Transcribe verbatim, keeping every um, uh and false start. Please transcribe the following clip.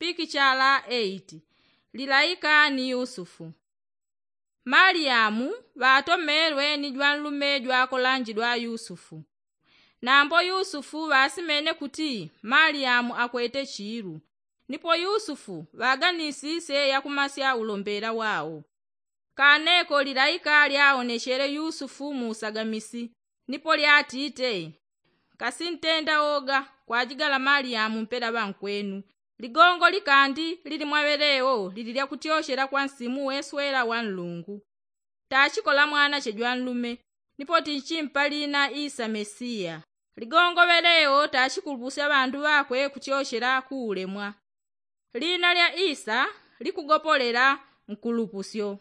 pikichala eiti. Lilaika ni yusufu. Maliyamu ŵatomelwe ni jwanlume jwakolanjidwa yusufu. Nambo yusufu ŵasimene kuti maliyamu akwete chilu. Nipo yusufu ŵaganisisye yakumasya ulombela wao. Kaneko lilaika lyaonechele yusufu mu usagamisi nipo lyatite, kasintenda oga kwajigala maliyamu mpela ŵankwenu. Ligongo likandi lili mwa ŵeleo lili lyakutyochela kwa nsimu weswela wa nlungu. Tachikola mwanache jwanlume nipo tinchimpa lina isa mesiya. Ligongo ŵeleo tachikulupusya ŵandu ŵakwe kutyochela kuulemwa. Lina lya isa likugopolela nkulupusyo.